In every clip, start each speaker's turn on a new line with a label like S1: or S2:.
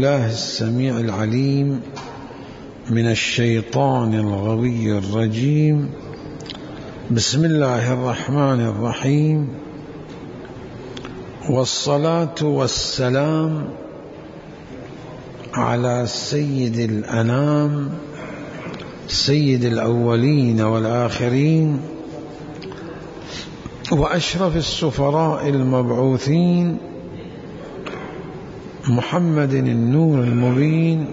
S1: الله السميع العليم من الشيطان الغوي الرجيم. بسم الله الرحمن الرحيم، والصلاة والسلام على سيد الأنام سيد الأولين والآخرين وأشرف السفراء المبعوثين محمد النور المبين،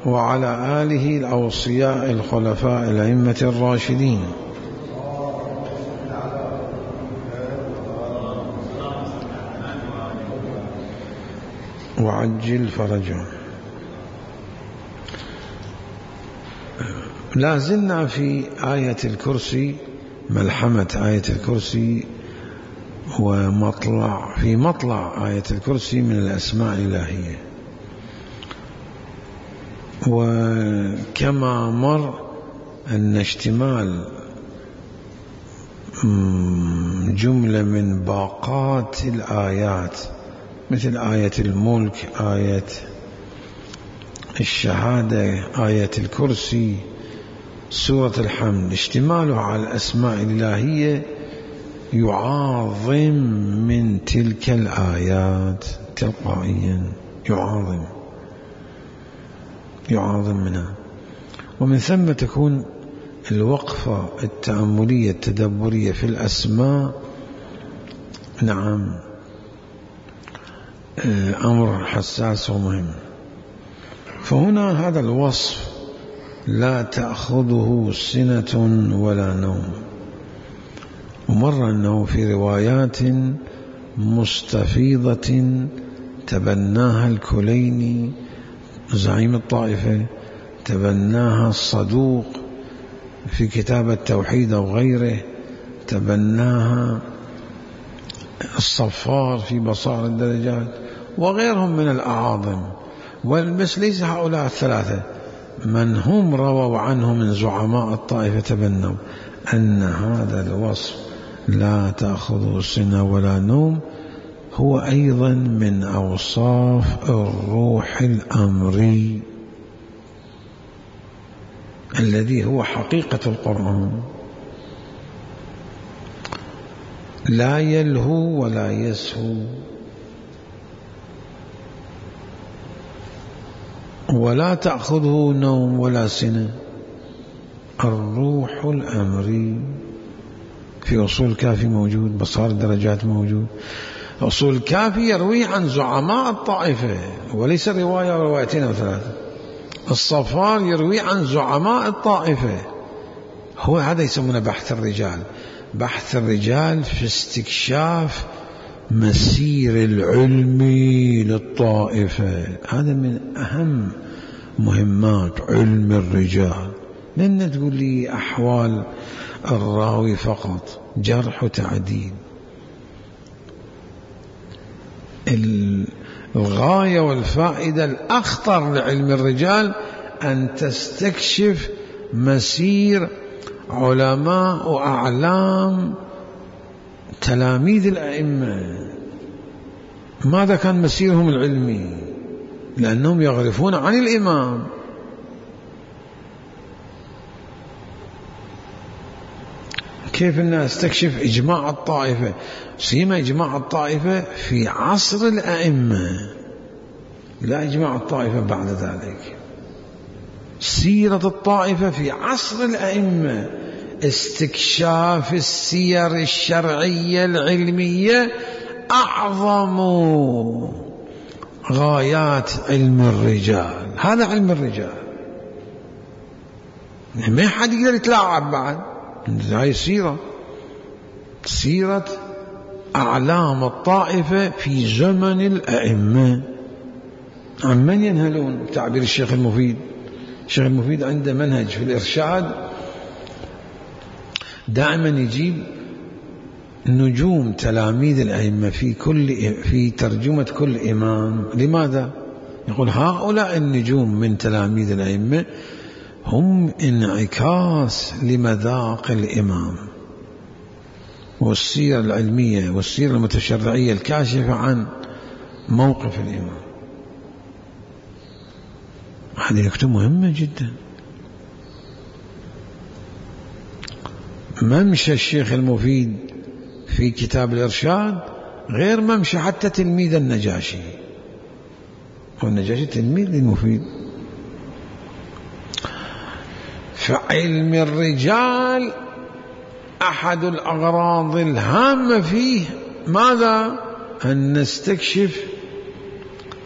S1: وعلى آله الأوصياء الخلفاء الأئمة الراشدين، وعجل فرجهم. لا زلنا في آية الكرسي، ملحمة آية الكرسي في مطلع آية الكرسي من الأسماء الإلهية. وكما مر أن اشتمال جملة من باقات الآيات مثل آية الملك، آية الشهادة، آية الكرسي، سورة الحمد، اشتمالها على الأسماء الإلهية يعاظم من تلك الآيات تلقائيا، يعاظم منها. ومن ثم تكون الوقفة التأملية التدبرية في الأسماء أمر حساس ومهم. فهنا هذا الوصف لا تأخذه سنة ولا نوم، ومر أنه في روايات مستفيضة تبناها الكليني زعيم الطائفة، تبناها الصدوق في كتاب التوحيد أو غيره، تبناها الصفار في بصائر الدرجات، وغيرهم من الأعاظم. بس ليس هؤلاء الثلاثة، من هم رووا عنه من زعماء الطائفة تبنوا أن هذا الوصف لا تأخذه سنة ولا نوم هو أيضا من أوصاف الروح الأمري الذي هو حقيقة القرآن، لا يلهو ولا يسهو ولا تأخذه نوم ولا سنة. الروح الأمري في أصول الكافي موجود، بصائر الدرجات موجود. أصول الكافي يروي عن زعماء الطائفة وليس رواية وروايتين أو ثلاثة. الصفار يروي عن زعماء الطائفة. هو هذا يسمونه بحث الرجال. بحث الرجال في استكشاف مسير العلمي للطائفة، هذا من أهم مهمات علم الرجال. لن تقول لي أحوال الراوي فقط، جرح وتعديل. الغاية والفائدة الأخطر لعلم الرجال أن تستكشف مسير علماء وأعلام تلاميذ الأئمة، ماذا كان مسيرهم العلمي، لأنهم يعرفون عن الإمام. كيف الناس تكشف إجماع الطائفة، سيما إجماع الطائفة في عصر الأئمة، لا إجماع الطائفة بعد ذلك. سيرة الطائفة في عصر الأئمة، استكشاف السير الشرعية العلمية أعظم غايات علم الرجال. هذا علم الرجال، ما حد يقدر يتلاعب بعد. هاي سيرة أعلام الطائفة في زمن الأئمة. عن من ينهلون؟ تعبير الشيخ المفيد. الشيخ المفيد عنده منهج في الإرشاد دائما يجيب نجوم تلاميذ الأئمة في ترجمة كل إمام. لماذا؟ يقول هؤلاء النجوم من تلاميذ الأئمة هم انعكاس لمذاق الإمام، والسيرة العلمية والسيرة المتشرعية الكاشفة عن موقف الإمام. هذه نكتة مهمة جدا. ممشى الشيخ المفيد في كتاب الإرشاد غير ممشى حتى تلميذ النجاشي، والنجاشي تلميذ للمفيد. فعلم الرجال أحد الأغراض الهامة فيه ماذا؟ أن نستكشف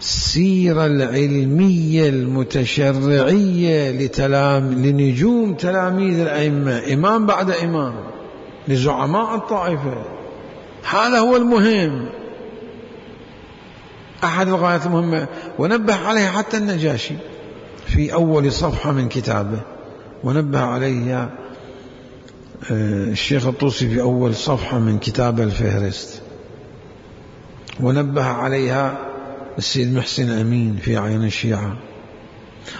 S1: السيرة العلمية المتشرعية لنجوم تلاميذ الأئمة، إمام بعد إمام، لزعماء الطائفة. هذا هو المهم، أحد الغايات المهمة، ونبه عليه حتى النجاشي في أول صفحة من كتابه، ونبه عليه الشيخ الطوسي في أول صفحة من كتابه الفهرست، ونبه عليها السيد محسن أمين في عين الشيعة،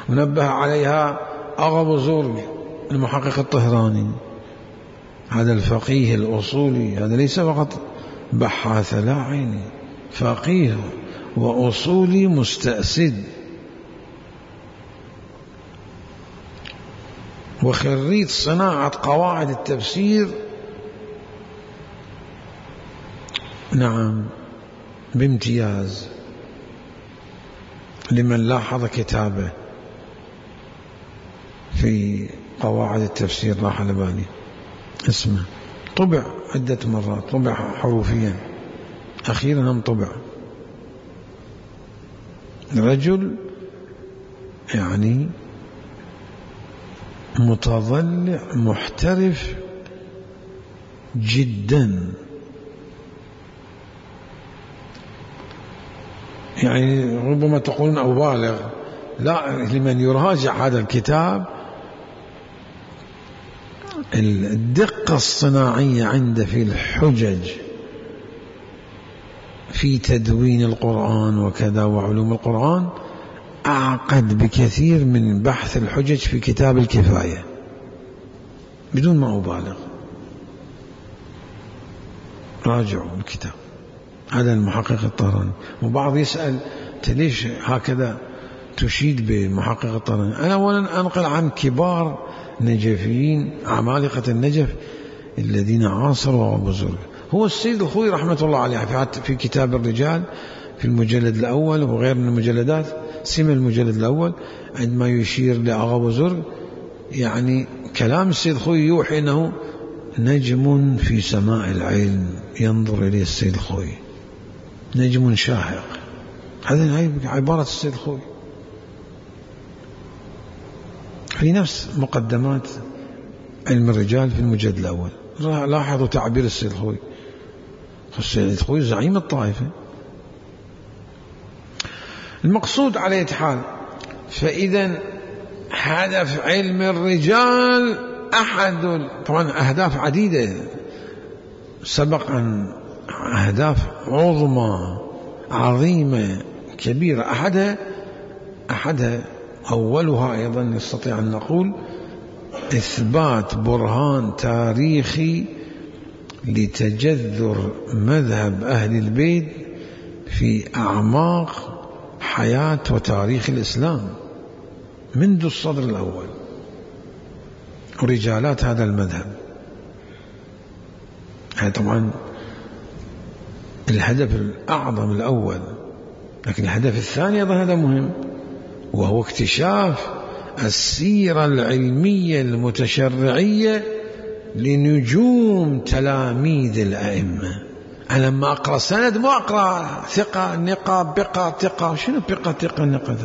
S1: ونبه عليها أغا بزرگ المحقق الطهراني. هذا الفقيه الأصولي، هذا ليس فقط بحاث، لا عيني، فقيه وأصولي مستأسد وخريج صناعة قواعد التفسير، نعم، بامتياز، لمن لاحظ كتابه في قواعد التفسير راح على بالي اسمه، طبع عدة مرات، طبع حروفيا، أخيرا هم طبع. رجل يعني متضلع محترف جدا، يعني ربما تقولون أبالغ، لا، لمن يراجع هذا الكتاب الدقة الصناعية عنده في الحجج، في تدوين القرآن وكذا وعلوم القرآن، أعقد بكثير من بحث الحجج في كتاب الكفاية، بدون ما أبالغ. راجعوا الكتاب، هذا المحقق الطهراني. وبعض يسأل ليش هكذا تشيد بمحقق الطهراني؟ أنا أولا أنقل عن كبار نجفيين عمالقة النجف الذين عاصروا أبو زرق. هو السيد الخوي رحمة الله عليه في كتاب الرجال في المجلد الأول وغير من المجلدات، سمى المجلد الأول عندما يشير لأغا أبو زرق، يعني كلام السيد الخوي يوحي أنه نجم في سماء العلم ينظر إليه السيد الخوي، نجم شاهق. هذه عبارة السيد الخوي في نفس مقدمات علم الرجال في المجلد الأول. لاحظوا تعبير السيد الخوي، السيد الخوي زعيم الطائفة. المقصود على أي حال، فإذا هدف علم الرجال أحد، طبعا أهداف عديدة سبق أن أهداف عظمى عظيمة كبيرة، أحدها أولها أيضا نستطيع أن نقول إثبات برهان تاريخي لتجذر مذهب أهل البيت في أعماق حياة وتاريخ الإسلام منذ الصدر الأول ورجالات هذا المذهب. هذا طبعا الهدف الأعظم الأول، لكن الهدف الثاني أيضا هذا مهم، وهو اكتشاف السيرة العلمية المتشرعية لنجوم تلاميذ الأئمة. أنا لما أقرأ سند ما أقرأ ثقة نقة بقى ثقة، شنو بقى ثقة نقة؟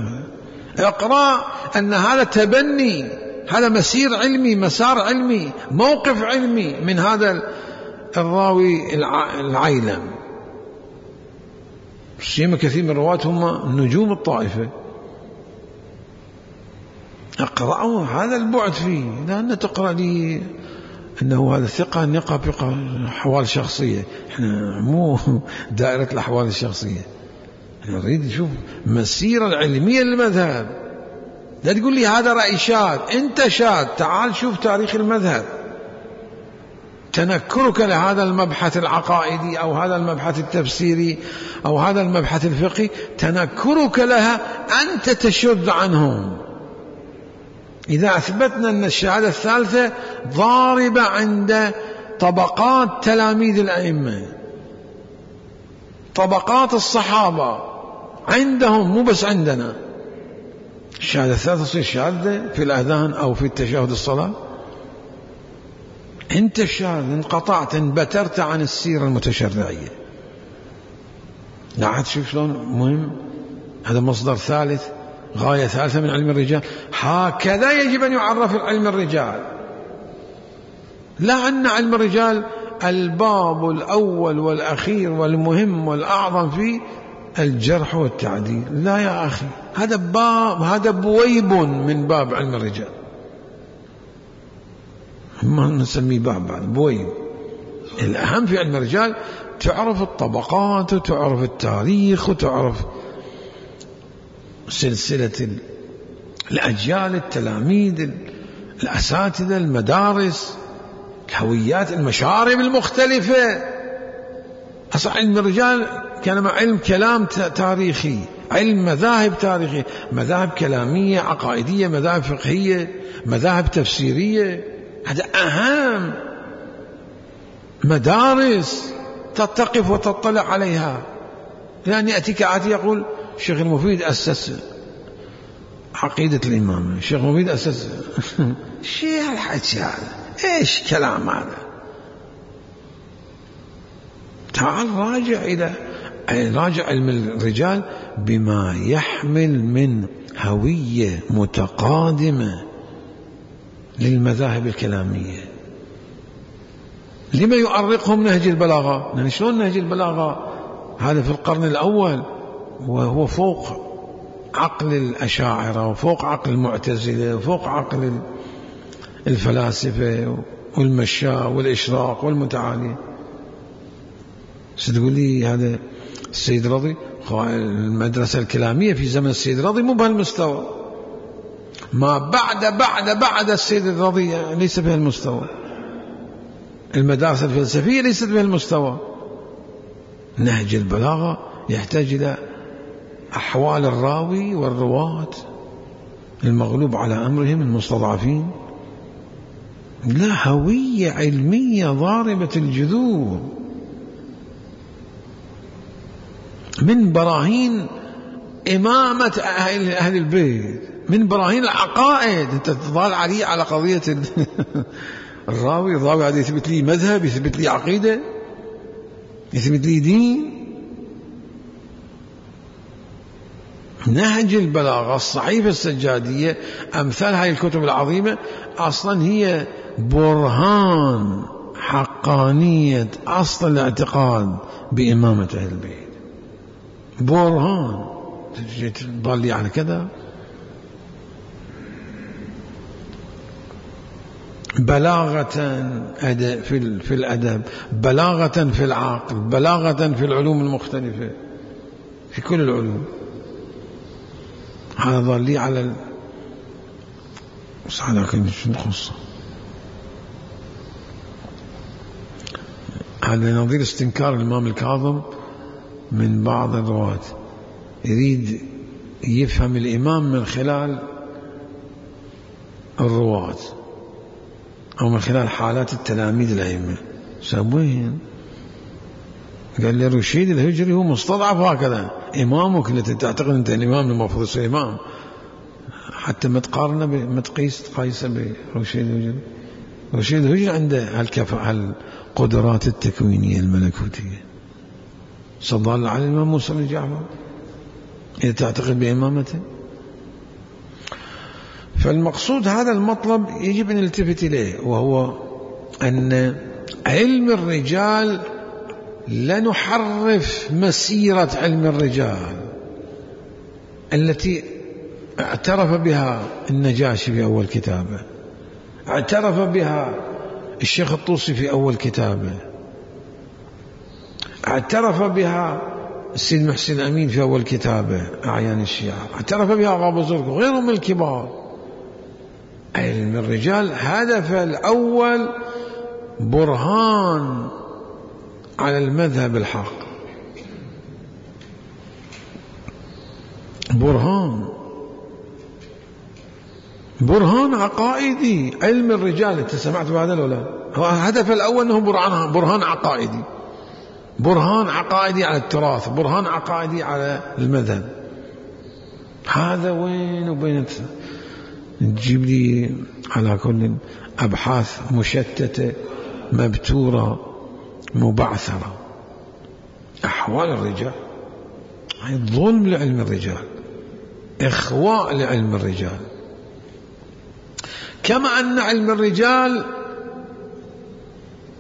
S1: أقرأ أن هذا تبني، هذا مسير علمي، مسار علمي، موقف علمي من هذا الراوي العيلم. سيما كثير من الرواة هم نجوم الطائفة، أقرأه هذا البعد فيه، لأن تقرأ لي أنه هذا ثقة نقة بقى حوال شخصية، إحنا مو دائرة الأحوال الشخصية، نريد نشوف مسيرة العلمية للمذهب. لا تقول لي هذا رأي شاذ، أنت شاذ، تعال شوف تاريخ المذهب. تنكرك لهذا المبحث العقائدي أو هذا المبحث التفسيري أو هذا المبحث الفقهي، تنكرك لها أنت تشذ عنهم، إذا أثبتنا أن الشهادة الثالثة ضاربة عند طبقات تلاميذ الأئمة، طبقات الصحابة عندهم مو بس عندنا، الشهادة الثالثة تصير شهادة في الأذان أو في التشهد الصلاة. أنت الشاذ انقطعت انبترت عن السيرة المتشرعية. لا تشوف شلون مهم، هذا مصدر ثالث، غاية ثالثة من علم الرجال. هكذا يجب أن يعرف علم الرجال، لا أن علم الرجال الباب الأول والأخير والمهم والأعظم فيه الجرح والتعديل. لا يا أخي، هذا باب، هذا بويب من باب علم الرجال، ما نسميه باب بعد، بويب. الأهم في علم الرجال تعرف الطبقات وتعرف التاريخ وتعرف سلسلة الأجيال، التلاميذ، الأساتذة، المدارس، الهويات، المشارب المختلفة. أصلا علم الرجال كان علم كلام تاريخي، علم مذاهب تاريخية، مذاهب كلامية عقائدية، مذاهب فقهية، مذاهب تفسيرية. هذا أهم مدارس تتقف وتطلع عليها. لأن يأتيك عادي يقول الشيخ المفيد أسس عقيدة الإمامة، الشيخ المفيد أسس شيء هالحكي هذا، إيش كلام هذا؟ تعال راجع علم الرجال بما يحمل من هوية متقادمة للمذاهب الكلامية. لما يؤرقهم نهج البلاغة؟ يعني شلون نهج البلاغة هذا في القرن الأول وهو فوق عقل الأشاعرة وفوق عقل المعتزلة وفوق عقل الفلاسفة والمشاة والإشراق والمتعالي. ستقول لي هذا السيد رضي، المدرسة الكلامية في زمن السيد رضي مو بهالمستوى، ما بعد السيد الرضي ليس بهالمستوى، المدارس الفلسفية ليست بهالمستوى. نهج البلاغة يحتاج إلى أحوال الراوي والرواة، المغلوب على أمرهم، المستضعفين. لا، هوية علمية ضاربة الجذور، من براهين إمامة أهل البيت، من براهين العقائد. أنت تظل على قضية الراوي هذا يثبت لي مذهب، يثبت لي عقيدة، يثبت لي دين. نهج البلاغة، الصحيفة السجادية، أمثال هاي الكتب العظيمة أصلا هي برهان حقانية أصل الاعتقاد بإمامة أهل البيت، برهان. تضل لي على كذا؟ بلاغة في الأدب، بلاغة في العقل، بلاغة في العلوم المختلفة، في كل العلوم. هذا ظل لي على لكن شو القصة؟ هذا نظير استنكار الإمام الكاظم من بعض الرواة، يريد يفهم الإمام من خلال الرواة أو من خلال حالات التلاميذ الأئمة. سوين قال لي رشيد الهجري هو مستضعف هكذا، إمامك التي تعتقد أنت الإمام المفروض يصير إمام، حتى ما تقارنه ما تقيسه برشيد الهجري. رشيد الهجري عنده هالقدرات التكوينية الملكوتية. صلى على الإمام موسى بن جعفر إذا تعتقد بإمامته. فالمقصود هذا المطلب يجب أن نلتفت إليه، وهو أن علم الرجال لا نحرف مسيرة علم الرجال التي اعترف بها النجاشي في أول كتابه، اعترف بها الشيخ الطوسي في أول كتابه، اعترف بها السيد محسن أمين في أول كتابه أعيان الشيعة، اعترف بها غابو زرق وغيرهم من الكبار. علم الرجال هدف الأول برهان على المذهب الحق، برهان. برهان عقائدي. علم الرجال انت سمعت بهذا ولا لا؟ هو الهدف الاول انه برهان عقائدي، برهان عقائدي على التراث، برهان عقائدي على المذهب. هذا وين وبين تجيب لي على كل أبحاث مشتتة مبتورة مبعثرة. أحوال الرجال ظلم لعلم الرجال، إخواء لعلم الرجال. كما أن علم الرجال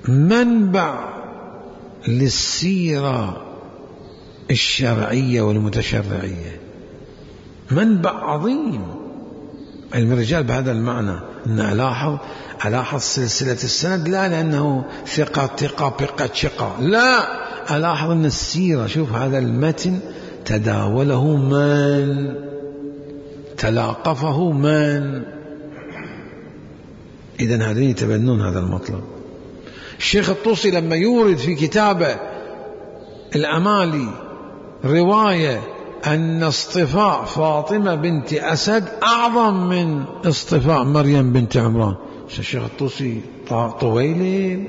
S1: منبع للسيرة الشرعية والمتشرعية، منبع عظيم علم الرجال بهذا المعنى. أن ألاحظ سلسلة السند لا لأنه ثقة شقة، لا، ألاحظ أن السيرة، شوف هذا المتن تداوله من، تلاقفه من. إذن هذين يتبنون هذا المطلب. الشيخ الطوسي لما يورد في كتابه الأمالي رواية أن اصطفاء فاطمة بنت أسد أعظم من اصطفاء مريم بنت عمران، الشيخ الطوسي طويل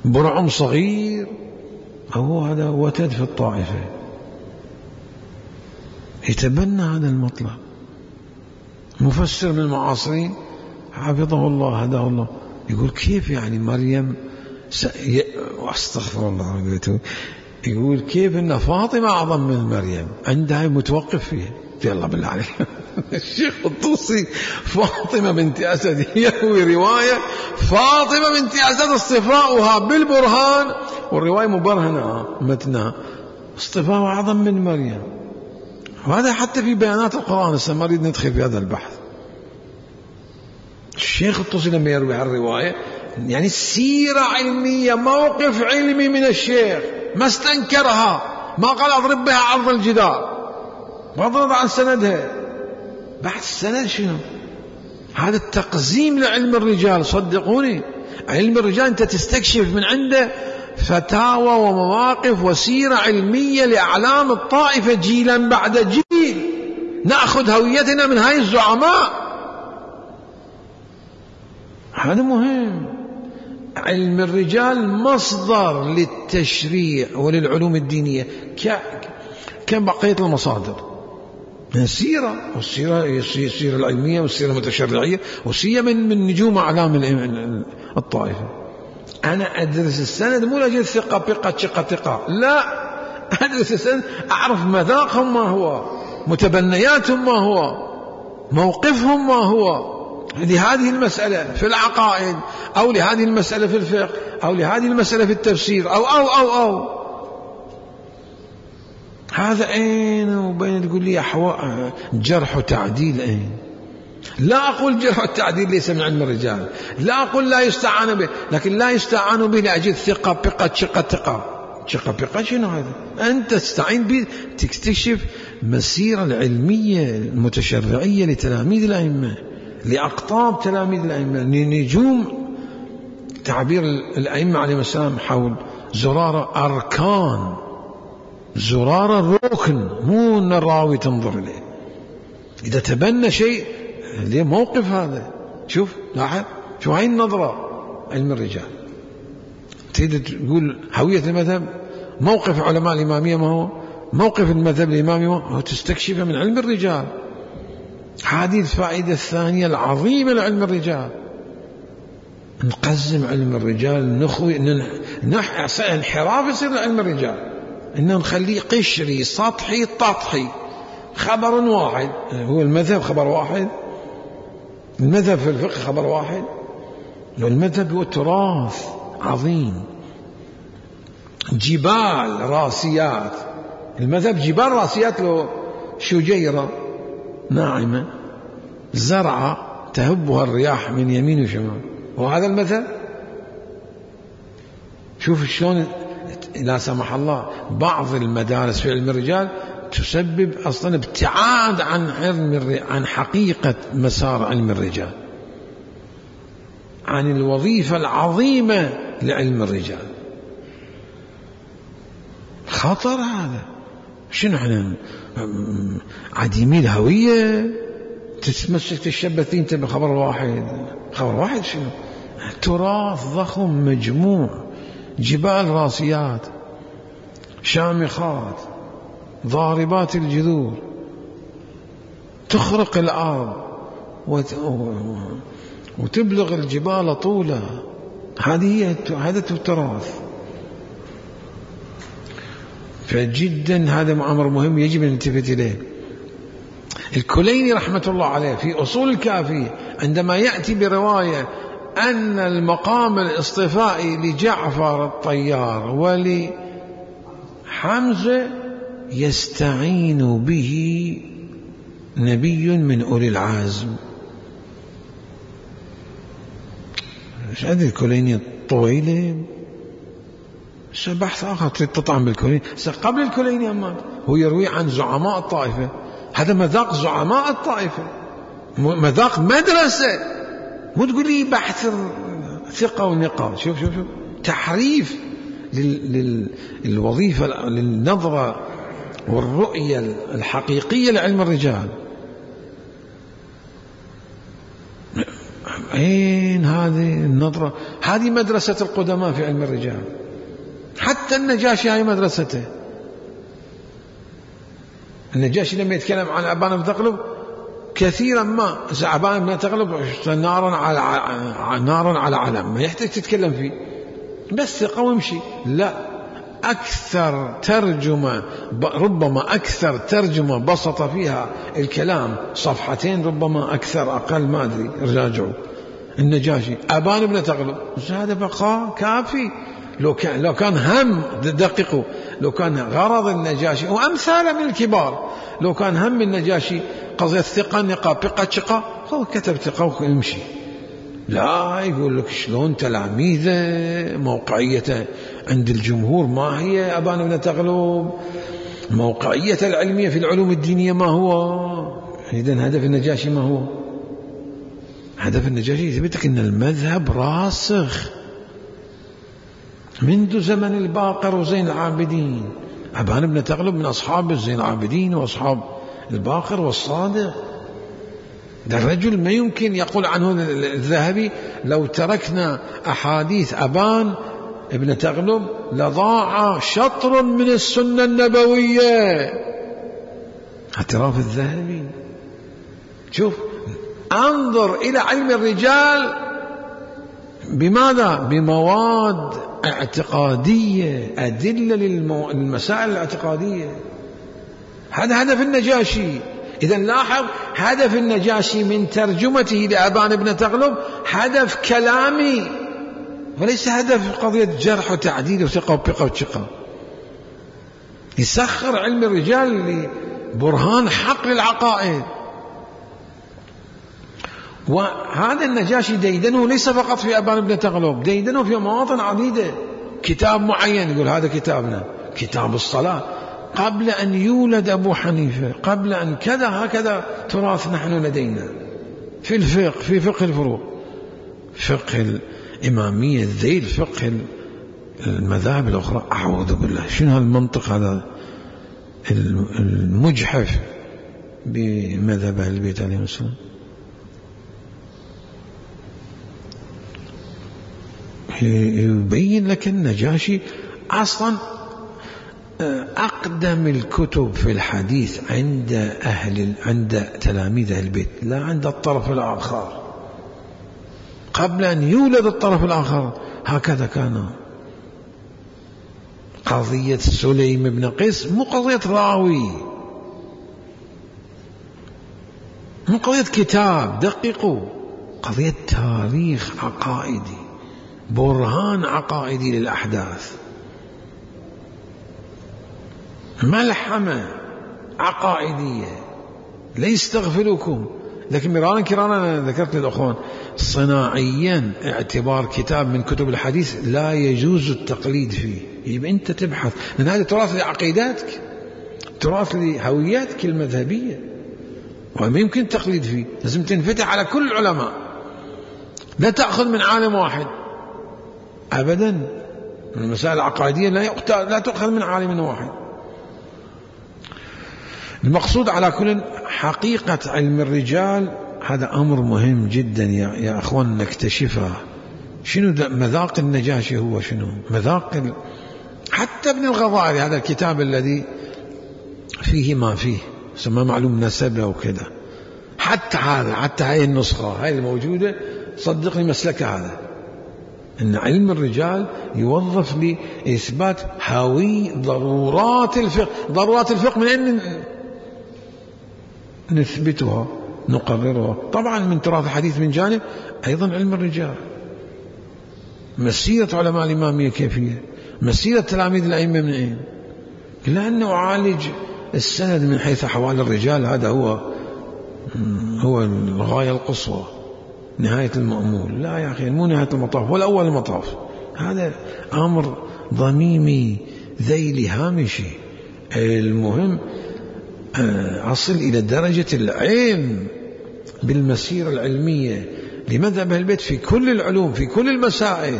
S1: برعم صغير، هو هذا وتد في الطائفة، يتبنى هذا المطلب. مفسر من المعاصرين حفظه الله هداه الله يقول كيف يعني مريم واستغفر الله، يقول كيف ان فاطمة اعظم من مريم، عندها متوقف فيها. يلا بالله عليك الشيخ الطوسي فاطمة بنت أسد يروي رواية فاطمة بنت أسد اصطفاؤها بالبرهان، والرواية مبرهنة متنها اصطفاؤها أعظم من مريم. وهذا حتى في بيانات القرآن، هسه ما نريد ندخل في هذا البحث. الشيخ الطوسي لما يروي هالرواية يعني سيرة علمية، موقف علمي من الشيخ، ما استنكرها، ما قال أضرب بها عرض الجدار، ما ضرب عن سندها. بعد السند شنو؟ هذا التقزيم لعلم الرجال. صدقوني علم الرجال أنت تستكشف من عنده فتاوى ومواقف وسيرة علمية لأعلام الطائفة جيلا بعد جيل، نأخذ هويتنا من هاي الزعماء. هذا مهم. علم الرجال مصدر للتشريع وللعلوم الدينية كبقية المصادر، السيرة، والسيرة السيرة العلمية والسيرة المتشرعية، وسيرة من نجوم أعلام الطائفة. أنا أدرس السند مو لأجل ثقة ثقة، لا، أدرس السند أعرف مذاقهم ما هو، متبنياتهم ما هو، موقفهم ما هو لهذه المسألة في العقائد، أو لهذه المسألة في الفقه، أو لهذه المسألة في التفسير، أو هذا أين وبين تقول لي جرح وتعديل أين؟ لا أقول جرح والتعديل ليس من علم الرجال، لا أقول لا يستعان به، لكن لا يستعان به لأجل ثقة شنو هذا؟ أنت تستعين به تكتشف مسيرة العلمية المتشرعية لتلاميذ الأئمة، لأقطاب تلاميذ الأئمة، لنجوم تعبير الأئمة عليهم السلام حول زرارة أركان، زرارة ركن، مو أن الراوي تنظر إليه. إذا تبنى شيء ليه موقف هذا. شوف لاحظ، شو هاي النظرة علم الرجال. تريد تقول هوية المذهب، موقف علماء الإمامية ما هو، موقف المذهب الإمامي ما هو، تستكشفه من علم الرجال. هذه الفائدة الثانية العظيمة لعلم الرجال. نقزم علم الرجال، نخوي انحراف يصير لعلم الرجال، إنه نخليه قشري سطحي تطحي. خبر واحد هو المذهب، خبر واحد، المذهب في الفقه خبر واحد، والمذهب هو تراث عظيم، جبال راسيات. المذهب جبال راسيات له شجيرة ناعمة زرعة تهبها الرياح من يمين وشمال، وهذا المذهب. شوف شلون لا سمح الله بعض المدارس في علم الرجال تسبب أصلا ابتعاد عن حقيقة مسار علم الرجال، عن الوظيفة العظيمة لعلم الرجال. خطر هذا. شنو احنا عديمي الهوية؟ تتمسك تشبث انت بخبر واحد. خبر واحد شنو؟ تراث ضخم مجموع، جبال راسيات شامخات ضاربات الجذور تخرق الأرض وتبلغ الجبال طولا. هذا التراث. فجدا هذا أمر مهم يجب أن نلتفت إليه. الكليني رحمة الله عليه في أصول الكافية عندما يأتي برواية أن المقام الاصطفائي لجعفر الطيار ولحمزة يستعين به نبي من أولي العزم. مش هذه الكليني الطويلة بحث آخر تطعم بالكليني. قبل الكليني أما هو يروي عن زعماء الطائفة. هذا مذاق زعماء الطائفة، مذاق مدرسة. مو تقول لي بحث ثقة ونقاء. شوف تحريف للوظيفة، للنظرة والرؤية الحقيقية لعلم الرجال. أين هذه النظرة؟ هذه مدرسة القدماء في علم الرجال. حتى النجاشي هاي مدرسته. النجاشي لما يتكلم عن أبان بن تغلب كثيرا ما أبان بن تغلب نارا على علم، ما يحتاج تتكلم فيه، بس ثقة وامشي. لا، أكثر ترجمة، ربما أكثر ترجمة بسط فيها الكلام صفحتين، ربما أكثر أقل ما أدري، راجعوا النجاشي أبان بن تغلب. هذا بقى كافي. لو كان هم دققوا، لو كان غرض النجاشي وأمثال من الكبار، لو كان هم النجاشي قضية ثقة نقاء بقى شقة، هو كتب ثقة ويمشي. لا، يقول لك شلون تلاميذه موقعيته عند الجمهور ما هي أبان بن تغلب، موقعية العلمية في العلوم الدينية ما هو. إذن هدف النجاشي ما هو؟ هدف النجاشي يثبتك أن المذهب راسخ منذ زمن الباقر وزين العابدين. أبان بن تغلب من أصحاب زين العابدين وأصحاب الباقر والصادق. ده الرجل ما يمكن يقول عنه الذهبي لو تركنا أحاديث أبان ابن تغلب لضاع شطر من السنة النبوية. اعتراف الذهبي. شوف، انظر إلى علم الرجال بماذا؟ بمواد اعتقادية، أدلة للمسائل الاعتقادية. هذا هدف النجاشي. إذا لاحظ هدف النجاشي من ترجمته لأبان بن تغلب هدف كلامي، وليس هدف قضية جرح وتعديل وثقة وبقى وشقة. يسخر علم الرجال لبرهان حق للعقائد. وهذا النجاشي ديدنه ليس فقط في أبان بن تغلب، ديدنه في مواطن عديدة. كتاب معين يقول هذا كتابنا، كتاب الصلاة، قبل أن يولد أبو حنيفة، قبل أن كذا، هكذا تراث نحن لدينا في الفقه، في فقه الفروق، فقه الإمامية، الذيل، فقه المذاهب الأخرى. أعوذ بالله، شنو هالمنطق هذا المجحف بمذهب أهل البيت عليهم السلام؟ يبين لك النجاشي أصلا أقدم الكتب في الحديث عند تلاميذ أهل البيت، لا عند الطرف الآخر. قبل أن يولد الطرف الآخر هكذا كان. قضية سليم بن قيس مو قضية راوي، مو قضية كتاب، دققوا، قضية تاريخ عقائدي، برهان عقائدي للأحداث، ملحمة عقائدية. لا يستغفلكم. لكن مرارا كرانا ذكرت للأخوان صناعيا اعتبار كتاب من كتب الحديث لا يجوز التقليد فيه. يبقى أنت تبحث، لأن هذا تراث لعقيداتك، تراث لهوياتك المذهبية، وما يمكن التقليد فيه. لازم تنفتح على كل العلماء، لا تأخذ من عالم واحد أبدا. المسائل العقائدية لا تؤخذ من عالم واحد. المقصود على كل حقيقة علم الرجال هذا أمر مهم جدا يا أخوان نكتشفه. شنو مذاق النجاشي؟ هو شنو مذاق حتى ابن الغضائري هذا الكتاب الذي فيه ما فيه سمى معلوم نسبه وكذا، حتى هذا، حتى هاي النسخة هاي الموجودة صدقني مسلكة هذا، إن علم الرجال يوظف لإثبات هوي ضرورات الفقه. ضرورات الفقه من أين نثبتها نقررها؟ طبعا من تراث الحديث من جانب، أيضا علم الرجال، مسيرة علماء الإمامية كيفية، مسيرة تلاميذ الأئمة من أين، لأنه أعالج السند من حيث أحوال الرجال، هذا هو الغاية القصوى، نهاية المأمول. لا يا أخي، مو نهاية المطاف ولا أول المطاف، هذا أمر ضميمي ذيلي هامشي. المهم أصل إلى درجة العلم بالمسيرة العلمية لمذهب أهل البيت في كل العلوم في كل المسائل.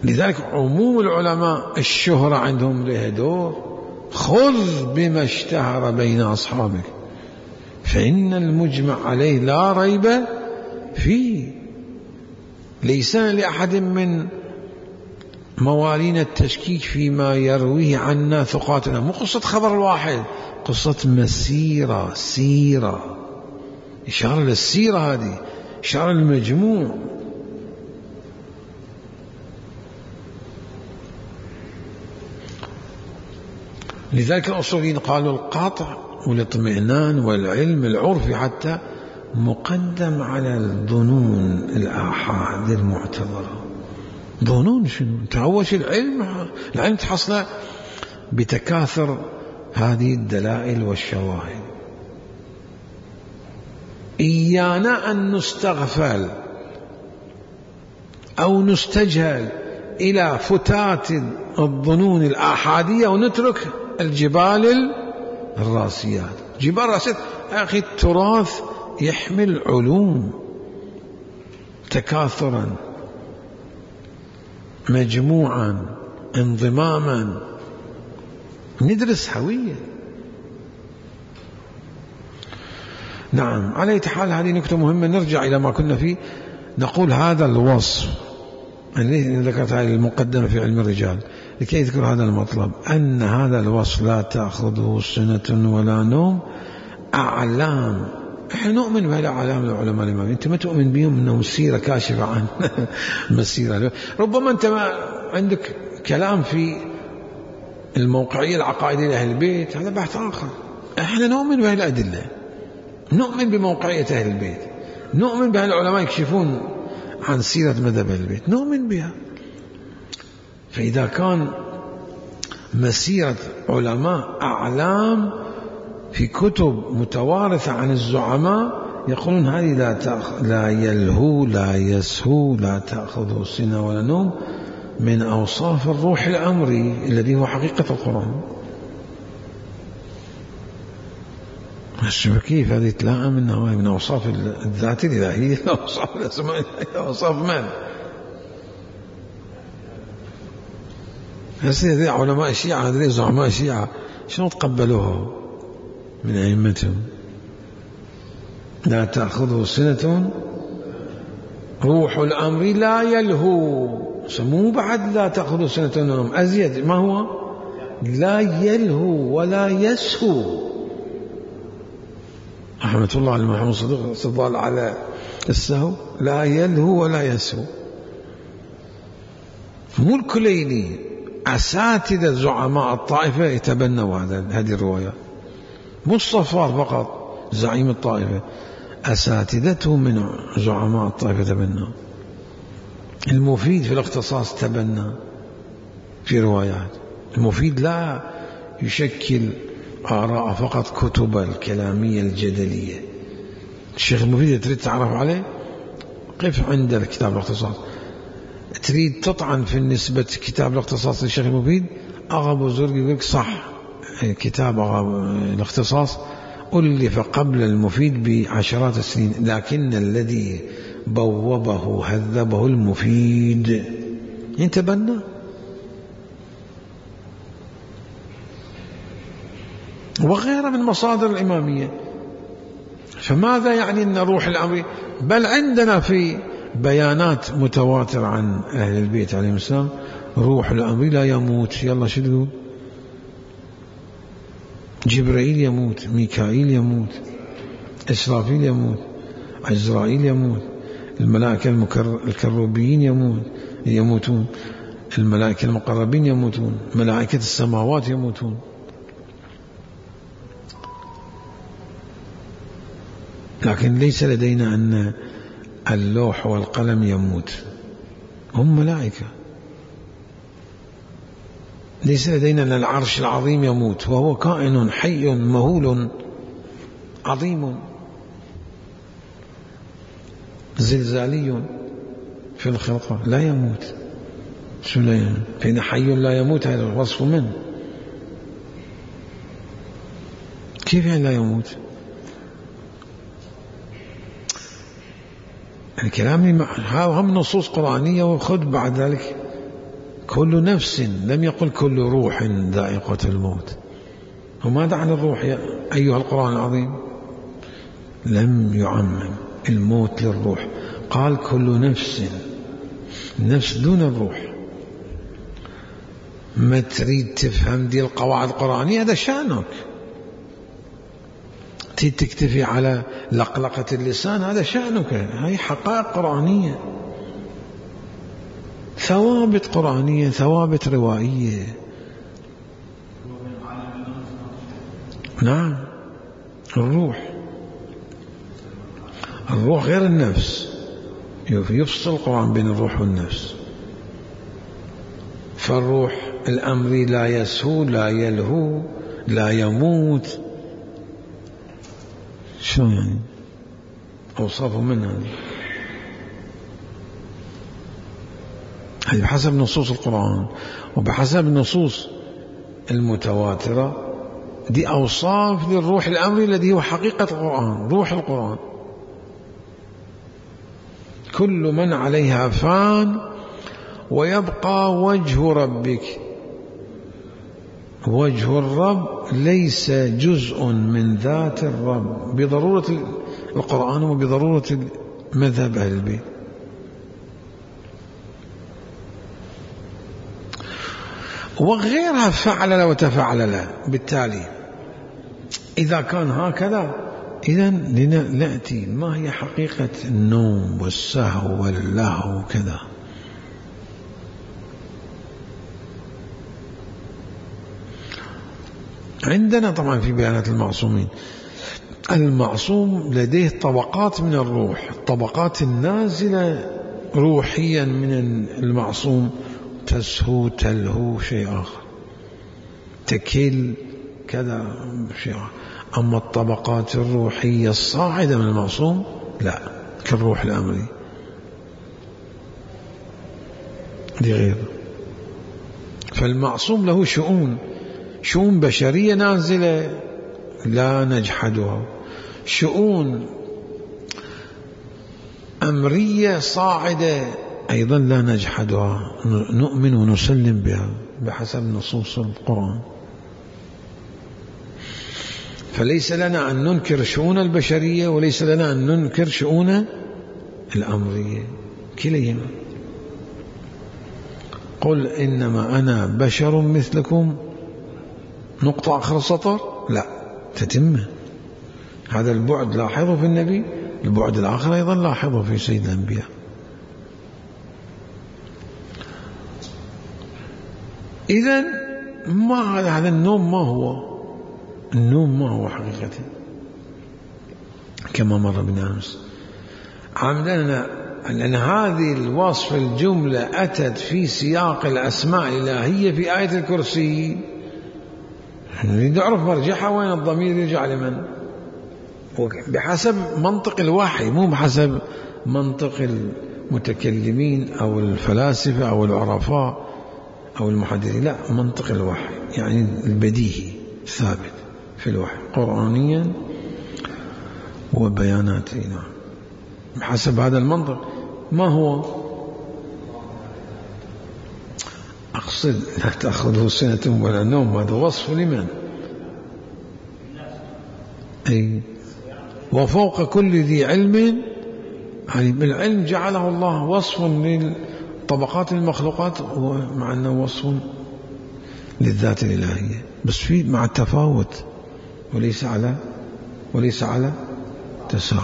S1: لذلك عموم العلماء الشهرة عندهم له دور. خذ بما اشتهر بين أصحابك فإن المجمع عليه لا ريب فيه. ليس لأحد من موالين التشكيك فيما يرويه عنا ثقاتنا. مو قصة خبر الواحد، قصة مسيرة، سيرة، إشارة للسيرة، هذه إشارة للمجموع. لذلك الأصوليين قالوا القطع والاطمئنان والعلم العرفي حتى مقدم على الظنون الآحاد المعتبرة. ظنون شنو؟ تعوش العلم تحصل بتكاثر هذه الدلائل والشواهد. إيانا أن نستغفل أو نستجهل إلى فتات الظنون الآحادية ونترك الجبال الراسيات. جبال الراسيات أخي، التراث يحمل علوم تكاثرا مجموعا انضماما، ندرس هوية. نعم، على أي حال هذه نكتة مهمة. نرجع إلى ما كنا فيه، نقول هذا الوصف الذي ذكرت هذه المقدمة في علم الرجال لكي يذكر هذا المطلب، أن هذا الوصف لا تأخذه سنة ولا نوم، أعلام. احنا نؤمن بهالأعلام العلماء الإماميين، أنت ما تؤمن بهم أنهم سيرة كاشفة عن مسيرة. ربما أنت ما عندك كلام في الموقعية العقائدية لأهل البيت، هذا بحث آخر. احنا نؤمن بهالأدلة، نؤمن بموقعية أهل البيت، نؤمن بهالعلماء يكشفون عن سيرة مذهب أهل البيت، نؤمن بها. فإذا كان مسيرة علماء أعلام في كتب متوارثة عن الزعماء يقولون هذه لا يلهو لا يسهو لا تأخذه سنة ولا نوم، من أوصاف الروح الأمري الذي هو حقيقة القرآن. كيف هذه تلائم من أوصاف الذات الإلهية، أوصاف الأسماء، أوصاف من؟ هذه علماء الشيعة، هذه زعماء الشيعة شنو تقبلوها من أئمتهم؟ لا تأخذه سنة، روح الأمر لا يلهو، سموه بعد لا تأخذه سنة نوم أزيد. ما هو؟ لا يلهو ولا يسهو. رحمة الله على محمد صديق استدل على السهو، لا يلهو ولا يسهو. مو الكليني، أساتذة زعماء الطائفة يتبنوا هذه الرواية، مو الصفار فقط زعيم الطائفة، أساتذته من زعماء الطائفة تبنوا. المفيد في الاختصاص تبنى في روايات. المفيد لا يشكل آراء فقط كتب الكلامية الجدلية. الشيخ المفيد تريد تعرف عليه، قف عند الكتاب الاختصاص. تريد تطعن في نسبة كتاب الاختصاص للشيخ المفيد، أغا زرق يقول لك صح، كتاب الاختصاص ألف قبل المفيد بعشرات السنين، لكن الذي بوبه هذبه المفيد. يتبنى وغيرها من مصادر الإمامية. فماذا يعني أن روح الأمر؟ بل عندنا في بيانات متواترة عن أهل البيت عليهم السلام روح الأمر لا يموت. يلا شو تقول؟ جبرائيل يموت، ميكائيل يموت، إسرافيل يموت، عزرائيل يموت، الملائكة الكروبيين يموتون، الملائكة المقربين يموتون، ملائكة السماوات يموتون. لكن ليس لدينا أن اللوح والقلم يموت، هم ملائكة. ليس لدينا أن العرش العظيم يموت، وهو كائن حي مهول عظيم زلزالي في الخلقة لا يموت. شو لا يموت؟ فإن حي لا يموت هذا وصف من؟ كيف يعني لا يموت؟ الكلام هم نصوص قرآنية. وخذ بعد ذلك كل نفس، لم يقل كل روح ذائقة الموت. وماذا عن الروح يا أيها القرآن العظيم؟ لم يعمم الموت للروح، قال كل نفس، النفس دون الروح. ما تريد تفهم دي القواعد القرآنية هذا شأنك، تريد تكتفي على لقلقة اللسان هذا شأنك. هاي حقائق قرآنية، ثوابت قرآنية، ثوابت روائية. نعم الروح غير النفس، يفصل القرآن بين الروح والنفس. فالروح الأمر لا يسهو لا يلهو لا يموت. شو يعني أوصافه منها؟ هذه بحسب نصوص القرآن وبحسب النصوص المتواترة. دي أوصاف للروح الأمري الذي هو حقيقة القرآن، روح القرآن. كل من عليها فان ويبقى وجه ربك. وجه الرب ليس جزء من ذات الرب بضرورة القرآن وبضرورة مذهب أهل البيت. وغيرها فعل وتفعل. بالتالي إذا كان هكذا إذن لنأتي ما هي حقيقة النوم والسهو واللهو وكذا. عندنا طبعا في بيانات المعصومين، المعصوم لديه طبقات من الروح، الطبقات النازلة روحيا من المعصوم تسهو تلهو شيء آخر، تكل كذا شيء آخر. أما الطبقات الروحية الصاعدة من المعصوم لا، كالروح الأمري دي غير. فالمعصوم له شؤون بشرية نازلة لا نجحدها، شؤون أمرية صاعدة أيضا لا نجحدها، نؤمن ونسلم بها بحسب نصوص القرآن. فليس لنا أن ننكر شؤون البشرية وليس لنا أن ننكر شؤون الأمرية، كليهما. قل إنما أنا بشر مثلكم، نقطة آخر السطر لا تتم. هذا البعد لاحظه في النبي، البعد الآخر أيضا لاحظه في سيد الأنبياء. إذن ما هذا النوم، ما هو النوم؟ ما هو حقيقته كما مر بنا أمس. عمدنا لأن هذه الوصف الجملة أتت في سياق الأسماء الإلهية في آية الكرسي. نريد نعرف مرجعها وين، الضمير يرجع لمن؟ بحسب منطق الوحي، مو بحسب منطق المتكلمين أو الفلاسفة أو العرفاء أو المحدثين، لا، منطق الوحي يعني البديهي ثابت في الوحي قرآنيا وبياناته. نعم بحسب هذا المنطق. ما هو؟ أقصد لا تأخذه سنة ولا نوم، هذا وصف لمن؟ أي وفوق كل ذي علم عليم. العلم جعله الله وصف لطبقات المخلوقات مع أنه وصف للذات الإلهية، بس في مع التفاوت وليس على تساوي.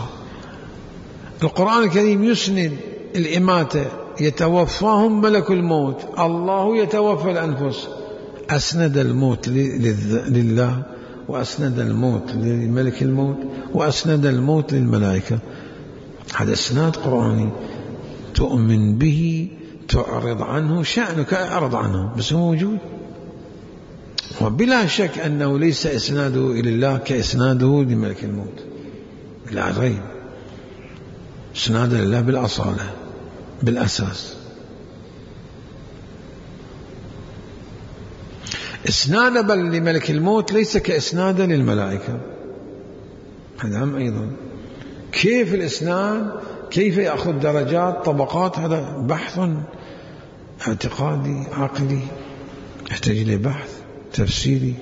S1: القرآن الكريم يسند الإماتة، يتوفاهم ملك الموت، الله يتوفى الأنفس، أسند الموت لله، وأسند الموت لملك الموت، وأسند الموت للملائكة. هذا إسناد قرآني تؤمن به، تعرض عنه، شأنك أعرض عنه، بس هو موجود. وبلا شك أنه ليس إسناده إلى الله كإسناده لملك الموت، لا ريب، إسناد لله بالأصالة بالأساس. إسناد بل لملك الموت ليس كإسناد للملائكة، هذا هم أيضا. كيف الإسناد، كيف يأخذ درجات طبقات، هذا بحث اعتقادي عقلي يحتاج إلى بحث تفسيري.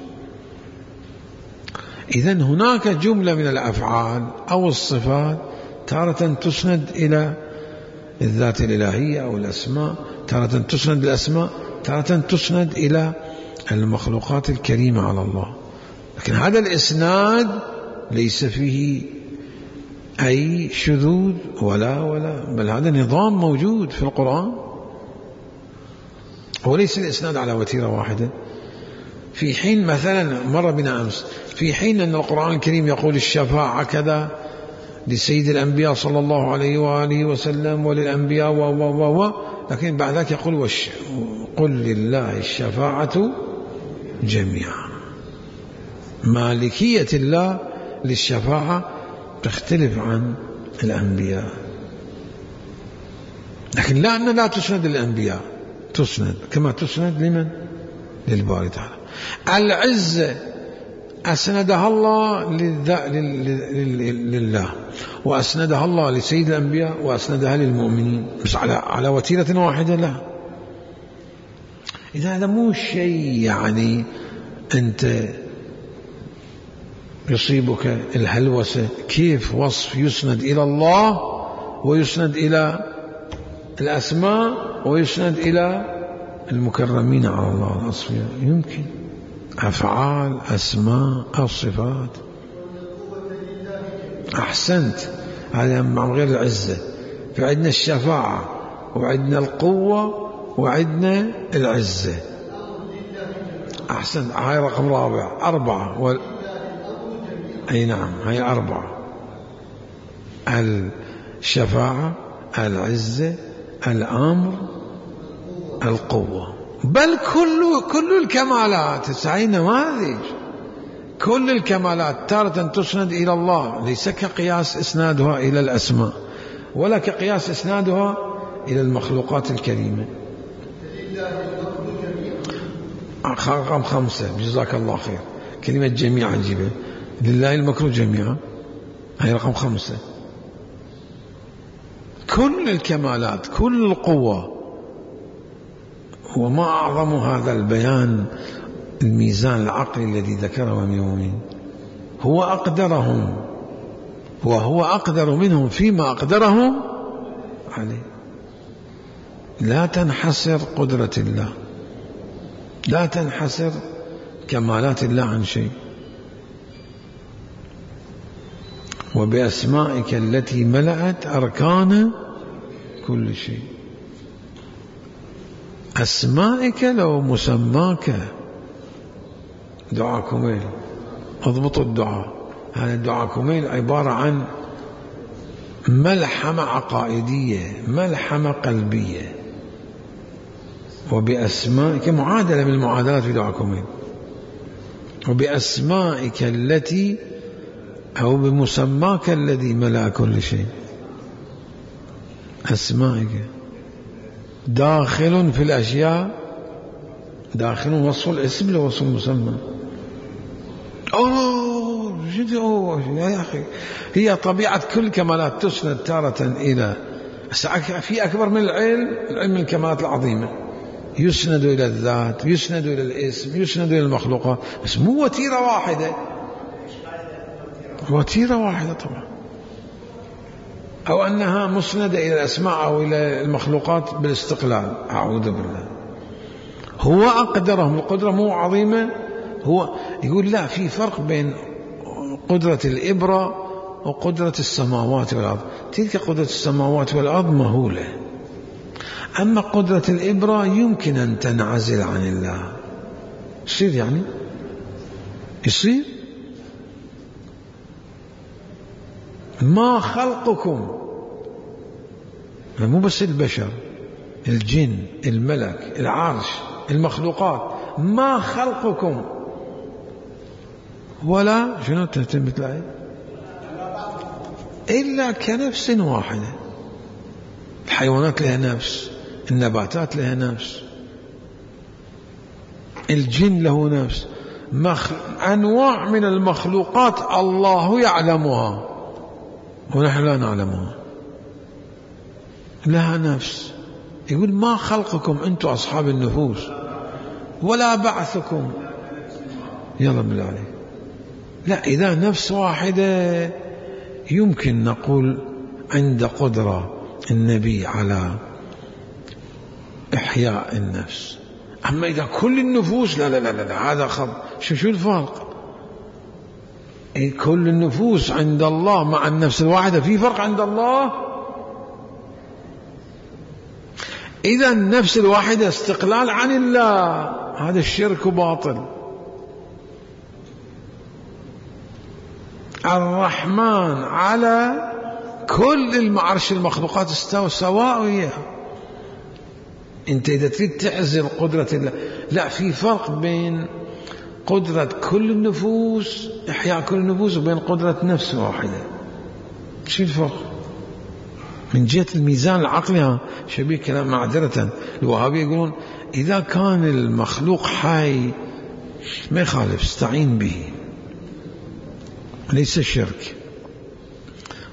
S1: إذن هناك جملة من الأفعال أو الصفات تارة تسند إلى الذات الإلهية أو الأسماء، تارة تسند الأسماء، تارة تسند إلى المخلوقات الكريمة على الله. لكن هذا الإسناد ليس فيه أي شذوذ ولا بل هذا نظام موجود في القرآن. وليس الإسناد على وتيرة واحدة. في حين مثلا مر بنا أمس، في حين أن القرآن الكريم يقول الشفاعة كذا لسيد الأنبياء صلى الله عليه وآله وسلم وللأنبياء لكن بعد ذلك يقول قل لله الشفاعة جميعا. مالكية الله للشفاعة تختلف عن الأنبياء، لكن لا أن لا تسند للأنبياء، تسند كما تسند لمن؟ للباري تعالى. العزة أسندها الله لله، وأسندها الله لسيد الأنبياء، وأسندها للمؤمنين، بس على وتيرة واحدة لا. إذا هذا مو شيء يعني أنت يصيبك الهلوسة كيف وصف يسند إلى الله ويسند إلى الأسماء ويسند إلى المكرمين على الله الأصفياء. يمكن أفعال أسماء أو صفات. أحسنت، هذا مع غير العزة. فعندنا الشفاعة وعندنا القوة وعندنا العزة. أحسنت، هاي رقم رابع، أربعة أي نعم، هاي أربعة: الشفاعة، العزة، الأمر، القوة. بل كل الكمالات سعي نماذج، كل الكمالات تارة تسند إلى الله، ليس كقياس إسنادها إلى الأسماء ولا كقياس إسنادها إلى المخلوقات الكريمة. رقم 5 جزاك الله خير، كلمة جميعا جيبه، لله المكر جميعا، هي رقم 5. كل الكمالات، كل القوة. وما أعظم هذا البيان، الميزان العقلي الذي ذكره من يومين. هو أقدرهم وهو أقدر منهم فيما أقدرهم عليه. لا تنحسر قدرة الله، لا تنحسر كمالات الله عن شيء. وبأسمائك التي ملأت أركان كل شيء. أسمائك لو مسماك. دعاء كميل، اضبطوا الدعاء. هذا الدعاء كميل عبارة عن ملحمة عقائدية، ملحمة قلبية. وبأسمائك، معادلة من المعادلات في دعاء كميل. وبأسمائك التي أو بمسماك الذي ملأ كل شيء. أسمائك داخل في الأشياء، داخل وصف الاسم لوصف المسمى. يا أخي، هي طبيعة كل كمالات تسند تارة إلى، في أكبر من العلم الكمالات العظيمة، يسند إلى الذات، يسند إلى الاسم، يسند إلى المخلوقات، بس مو وتيرة واحدة. وتيرة واحدة طبعا، أو أنها مسندة إلى الأسماء أو إلى المخلوقات بالاستقلال. أعوذ بالله. هو أقدرهم، القدرة مو عظيمة. هو يقول لا، في فرق بين قدرة الإبرة وقدرة السماوات والأرض. تلك قدرة السماوات والأرض مهولة، أما قدرة الإبرة يمكن أن تنعزل عن الله. يصير يعني يصير. ما خلقكم، مو بس البشر، الجن، الملك، العرش، المخلوقات، ما خلقكم ولا شنو تتمت الآية إلا كنفس واحدة. الحيوانات لها نفس، النباتات لها نفس، الجن له نفس، أنواع من المخلوقات الله يعلمها ونحن لا نعلمها، لها نفس. يقول ما خلقكم أنتم أصحاب النفوس ولا بعثكم. يلا بالله عليك. لا، إذا نفس واحدة يمكن نقول عند قدرة النبي على إحياء النفس. أما إذا كل النفوس لا لا لا لا، هذا شو الفرق؟ كل النفوس عند الله مع النفس الواحدة في فرق عند الله. إذا النفس الواحدة استقلال عن الله، هذا الشرك باطل. الرحمن على كل المعرش المخلوقات استوى سواء. انت اذا تريد تعزل قدرة الله، لا، في فرق بين قدرة كل النفوس، احياء كل النفوس، وبين قدرة نفس واحدة. شو الفرق؟ من جهة الميزان العقلي شبيه كلام. معذرة الوهابية يقولون إذا كان المخلوق حي ما يخالف، استعين به، ليس الشرك.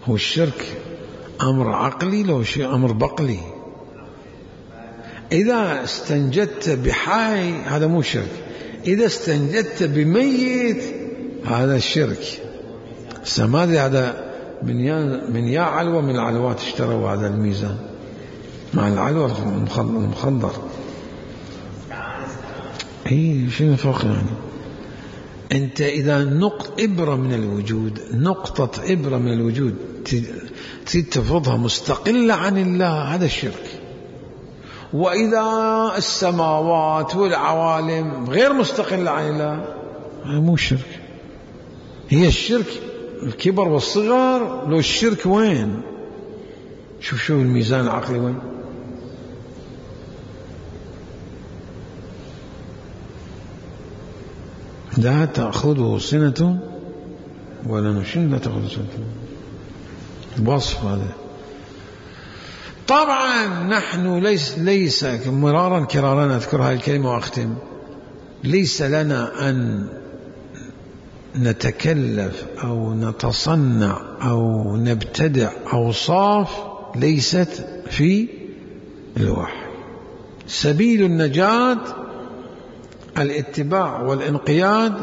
S1: هو الشرك أمر عقلي، لو شيء أمر بقلي. إذا استنجدت بحي هذا مو شرك، إذا استنجدت بميت هذا الشرك. السمادي هذا من يا علوة من العلوات اشتروا هذا الميزان مع العلوة المخضر. شنو الفرق يعني؟ أنت إذا إبرة من الوجود، نقطة إبرة من الوجود تريد تفرضها مستقلة عن الله، هذا الشرك. وإذا السماوات والعوالم غير مستقلة عن الله هذا مو شرك. هي الشرك الكبر والصغر. لو الشرك وين؟ شوف الميزان العقلي وين. لا تأخذه سنة ولا نشن، لا تأخذه سنة، وصف هذا. طبعا نحن ليس مرارا كرارا أذكر هذه الكلمة وأختم، ليس لنا أن نتكلف أو نتصنع أو نبتدع أوصاف ليست في الوحي. سبيل النجاة الاتباع والانقياد.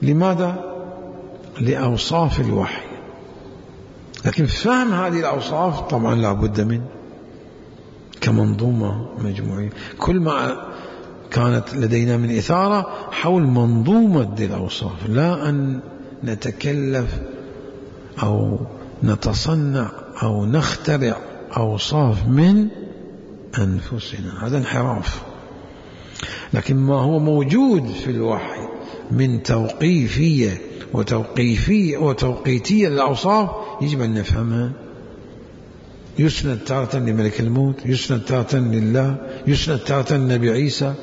S1: لماذا؟ لأوصاف الوحي. لكن فهم هذه الأوصاف طبعا لا بد من كمنظومة مجموعية. كل ما كانت لدينا من إثارة حول منظومة الأوصاف، لا أن نتكلف أو نتصنع أو نخترع أوصاف من أنفسنا، هذا انحراف. لكن ما هو موجود في الوحي من توقيفية وتوقيتية للأوصاف يجب أن نفهمها. يسند تارة لملك الموت، يسند تارة لله، يسند تارة للنبي عيسى،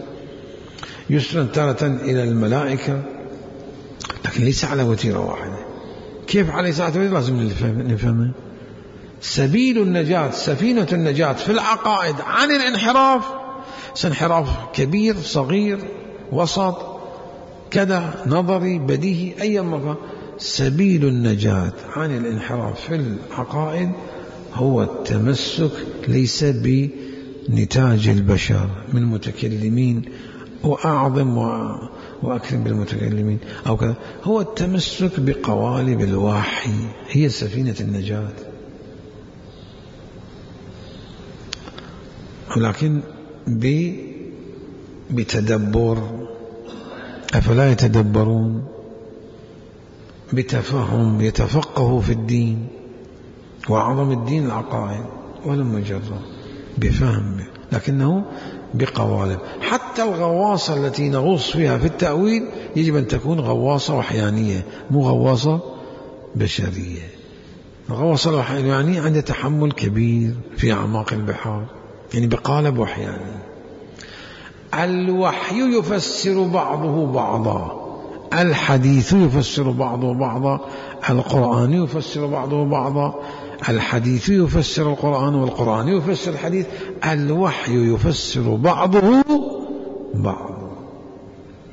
S1: يسند تارة إلى الملائكة، لكن ليس على وتيرة واحدة. كيف على ساعة وتيرة؟ لازم نفهمها. سبيل النجاة، سفينة النجاة في العقائد عن الانحراف، سانحراف كبير صغير وسط كذا نظري بديهي أي مكان. سبيل النجاة عن الانحراف في العقائد هو التمسك ليس بنتاج البشر من متكلمين وأعظم وأكرم بالمتكلمين أو كذا. هو التمسك بقوالب الوحي هي سفينة النجاة، ولكن بتدبر. أفلا يتدبرون؟ بتفهم، يتفقهوا في الدين، وأعظم الدين العقائد، ولم مجرد بفهم، لكنه بقوالب. حتى الغواصة التي نغوص فيها في التأويل يجب أن تكون غواصة وحيانية، مو غواصة بشرية. الغواصة الوحيانية عندها تحمل كبير في أعماق البحار، يعني بقالب وحياني. الوحي يفسر بعضه بعضا، الحديث يفسر بعضه بعضا، القرآن يفسر بعضه بعضا، الحديث يفسر القرآن والقرآن يفسر الحديث، الوحي يفسر بعضه بعضا.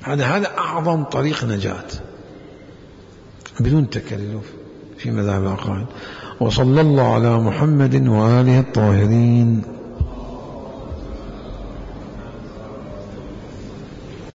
S1: هذا أعظم طريق نجاة بدون تكلف في مذهب العقائد. وصلى الله على محمد وآله الطاهرين.